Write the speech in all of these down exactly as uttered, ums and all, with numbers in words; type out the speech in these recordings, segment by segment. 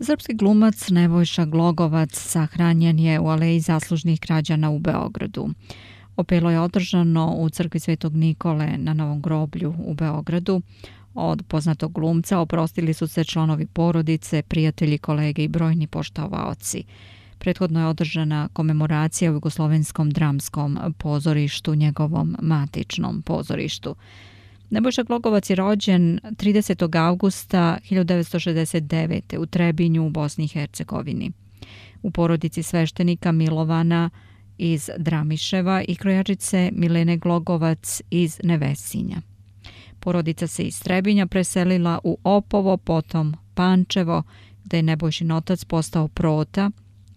Srpski glumac Nebojša Glogovac sahranjen je u Aleji zaslužnih građana u Beogradu. Opelo je održano u crkvi Svetog Nikole na Novom groblju u Beogradu. Od poznatog glumca oprostili su se članovi porodice, prijatelji, kolege i brojni poštovaoci. Prethodno je održana komemoracija u Jugoslovenskom dramskom pozorištu, njegovom matičnom pozorištu. Nebojša Glogovac je rođen tridesetog avgusta hiljadu devetsto šezdeset devete. u Trebinju u Bosni i Hercegovini. U porodici sveštenika Milovana iz Dramiševa i krojačice Milene Glogovac iz Nevesinja. Porodica se iz Trebinja preselila u Opovo, potom Pančevo, gde je Nebojšin otac postao prota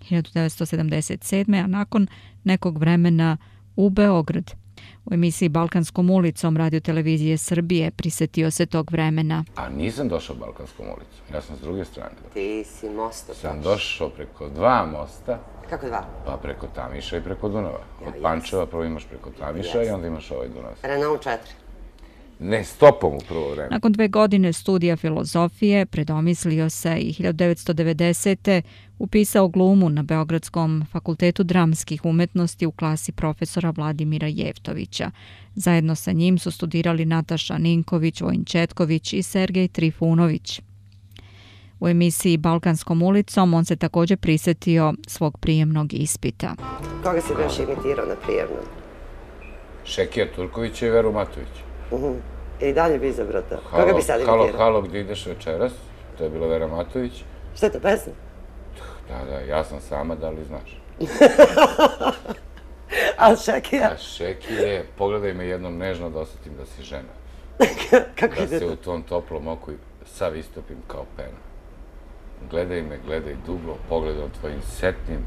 hiljadu devetsto sedamdeset sedme. a nakon nekog vremena u Beograd. U emisiji Balkanskom ulicom Radio-televizije Srbije prisetio se tog vremena. A nisam došao Balkanskom ulicom, ja sam s druge strane. Ti si mosta. Sam došao preko dva mosta. Kako dva? Pa preko Tamiša i preko Dunava. Od Pančeva prvo imaš preko Tamiša i onda imaš ovaj Dunav. Renault četiri. Ne, stopom u prvo vreme. Nakon dve godine studija filozofije predomislio se i hiljadu devetsto devedesete. upisao glumu na Beogradskom fakultetu dramskih umetnosti u klasi profesora Vladimira Jevtovića. Zajedno sa njim su studirali Nataša Ninković, Vojin Četković i Sergej Trifunović. U emisiji Balkanskom ulicom on se također prisetio svog prijemnog ispita. Koga si još imitirao na prijemnom? Šekija Turkovića i Veru Matović. Uh-huh. I dalje bi izabrao to. Koga bi sad imitirao? Halo, halo, gdje ideš večeras? To je bila Vera Matović. Što je to pesma? Da, da, ja sam sama, da li znaš? A Šekija? A Šekije, pogledaj me jednom nežno da osjetim da si žena. Kako da se u tom toplom oku sav istopim kao pena. Gledaj me, gledaj dublo, pogledom tvojim setnim.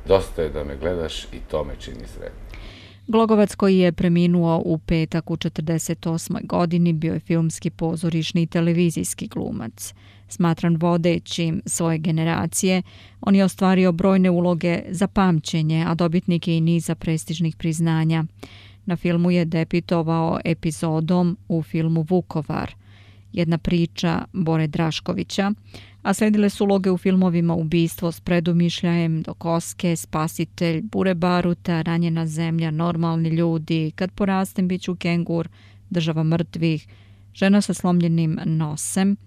Dosta je da me gledaš i to me čini sretnim. Glogovac, koji je preminuo u petak u četrdeset osmoj godini, bio je filmski, pozorišni i televizijski glumac. Smatran vodećim svoje generacije, on je ostvario brojne uloge za pamćenje, a dobitnik je i niza prestižnih priznanja. Na filmu je debitovao epizodom u filmu Vukovar, jedna priča Bore Draškovića, a sledile su uloge u filmovima Ubistvo s predumišljajem, Do koske, Spasitelj, Bure baruta, Ranjena zemlja, Normalni ljudi, Kad porastem bit ću kengur, Država mrtvih, Žena sa slomljenim nosem,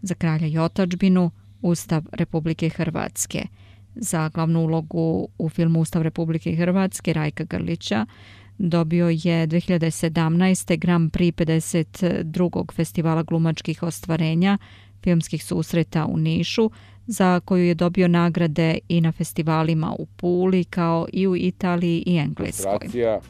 Za kralja i otadžbinu, Ustav Republike Hrvatske. Za glavnu ulogu u filmu Ustav Republike Hrvatske Rajka Grlića dobio je dve hiljade sedamnaeste. Grand Prix pedeset drugog festivala glumačkih ostvarenja filmskih susreta u Nišu, za koju je dobio nagrade i na festivalima u Puli, kao i u Italiji i Engleskoj. Frustracija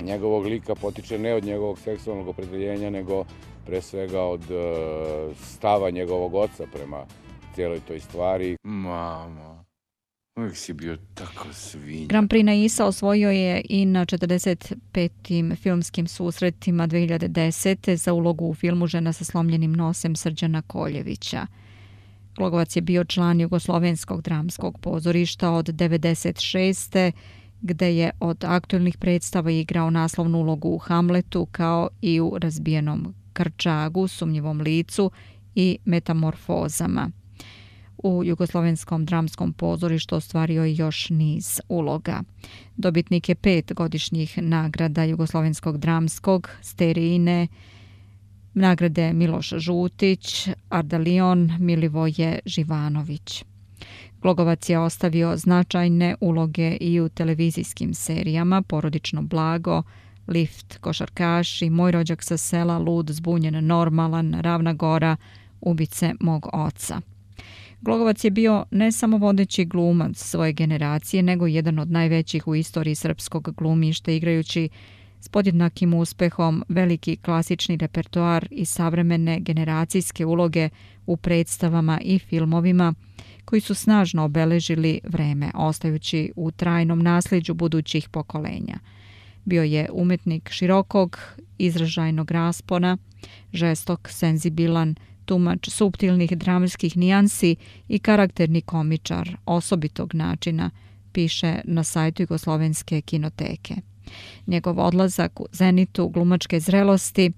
njegovog lika potiče ne od njegovog seksualnog opredeljenja, nego pre svega od uh, stava njegovog oca prema cijeloj toj stvari. Mamo, uvijek si bio tako svinja. Grand Prix na Isa osvojio je i na četrdeset petim filmskim susretima dve hiljade desete. za ulogu u filmu Žena sa slomljenim nosem Srđana Koljevića. Glogovac je bio član Jugoslovenskog dramskog pozorišta od devedeset šeste. gde je od aktuelnih predstava igrao naslovnu ulogu u Hamletu, kao i u Razbijenom Krčagu, Sumnjivom licu i Metamorfozama. U Jugoslovenskom dramskom pozorištu ostvario je još niz uloga. Dobitnik je pet godišnjih nagrada Jugoslovenskog dramskog, Sterijine, nagrade Miloš Žutić, Ardalion, Milivoje Živanović. Glogovac je ostavio značajne uloge i u televizijskim serijama Porodično blago, Lift, Košarkaši, Moj rođak sa sela, Lud, zbunjen, normalan, Ravna gora, Ubice mog oca. Glogovac je bio ne samo vodeći glumac svoje generacije, nego jedan od najvećih u istoriji srpskog glumišta, igrajući s podjednakim uspehom veliki klasični repertoar i savremene generacijske uloge u predstavama i filmovima koji su snažno obeležili vreme, ostajući u trajnom nasljeđu budućih pokolenja. Bio je umetnik širokog, izražajnog raspona, žestok, senzibilan, tumač suptilnih dramskih nijansi i karakterni komičar osobitog načina, piše na sajtu Jugoslovenske kinoteke. Njegov odlazak u zenitu glumačke zrelosti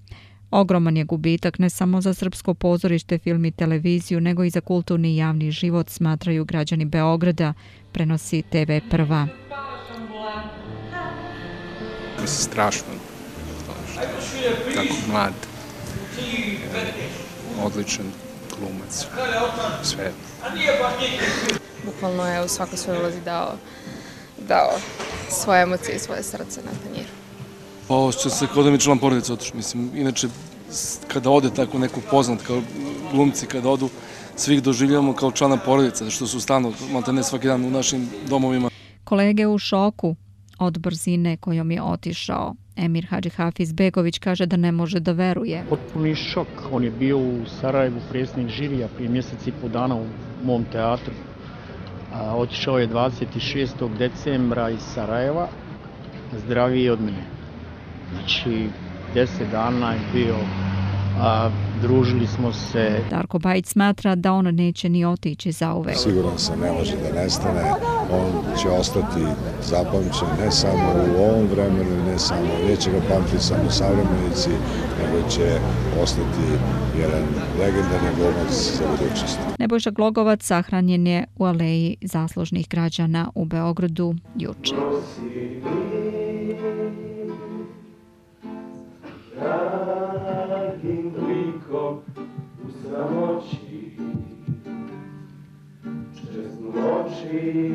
Ogroman je gubitak ne samo za srpsko pozorište, film i televiziju, nego i za kulturni i javni život, smatraju građani Beograda, prenosi te ve Prva. Mislim, strašno. Tako mlad, odličan glumac, sve. Bukvalno je u svakoj svojoj ulozi dao, dao svoje emocije i svoje srce na tanjiru. Pa osjeća se kao da mi je član porodice otišao. Mislim, inače, kada ode tako neko poznat, kao glumci, kada odu, svih doživljavamo kao člana porodice, što su stalno, maltene svaki dan u našim domovima. Kolege u šoku od brzine kojom je otišao. Emir Hadžihafiz-Begović kaže da ne može da veruje. Potpuni šok. On je bio u Sarajevu predsjednik žirija prije mjesec i po dana u mom teatru. A, otišao je dvadeset šestog decembra iz Sarajeva, zdraviji od mene. Znači, deset dana je bio, a, družili smo se. Darko Bajić smatra da on neće ni otići zauvek. Siguran sam, ne može da nestane. On će ostati zapamćen ne samo u ovom vremenu, ne samo, neće ga pamtiti samo savremenici, nego će ostati jedan legendarni glumac za budućnost. Nebojša Glogovac sahranjen je u aleji zaslužnih građana u Beogradu juče. U samoći, česnu oči.